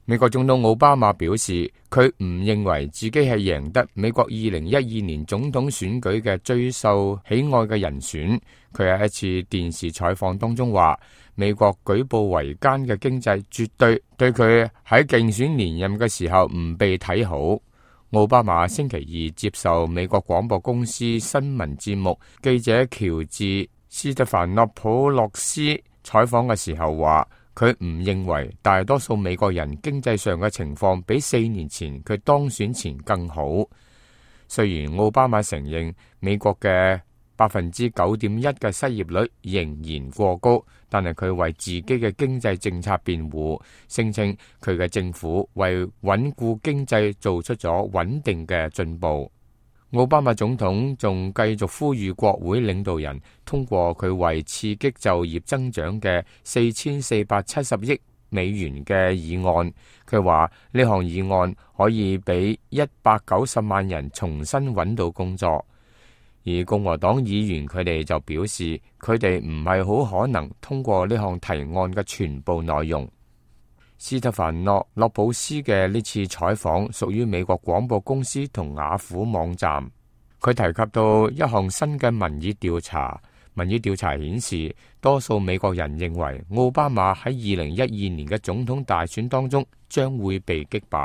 美國總統奧巴馬表示，佢唔認為自己係贏得美國2012年總統選舉嘅最受喜愛嘅人選。佢喺一次電視採訪當中話，美國舉步維艱嘅經濟絕對佢喺競選連任嘅時候唔被睇好。奧巴馬星期二接受美國廣播公司新聞節目記者喬治斯特凡諾普洛斯採訪嘅時候話，佢唔認為大多數美國人經濟上嘅情況比4年前佢當選前更好。雖然奧巴馬承認美國嘅9.1%嘅失業率仍然過高，但係佢為自己嘅經濟政策辯護，聲稱佢嘅政府為穩固經濟做出咗穩定嘅進步。奧巴馬總統仲繼續呼籲國會領導人通過佢為刺激就業增長嘅4470億美元嘅議案。佢話呢項議案可以俾190萬人重新揾到工作。而共和黨議員佢哋就表示，佢哋唔係好可能通過呢項提案嘅全部內容。斯特凡諾洛普斯嘅呢次採訪屬於美國廣播公司同雅虎網站。佢提及到一項新嘅民意調查，民意調查顯示，多數美國人認為奧巴馬喺2012年嘅總統大選當中將會被擊敗。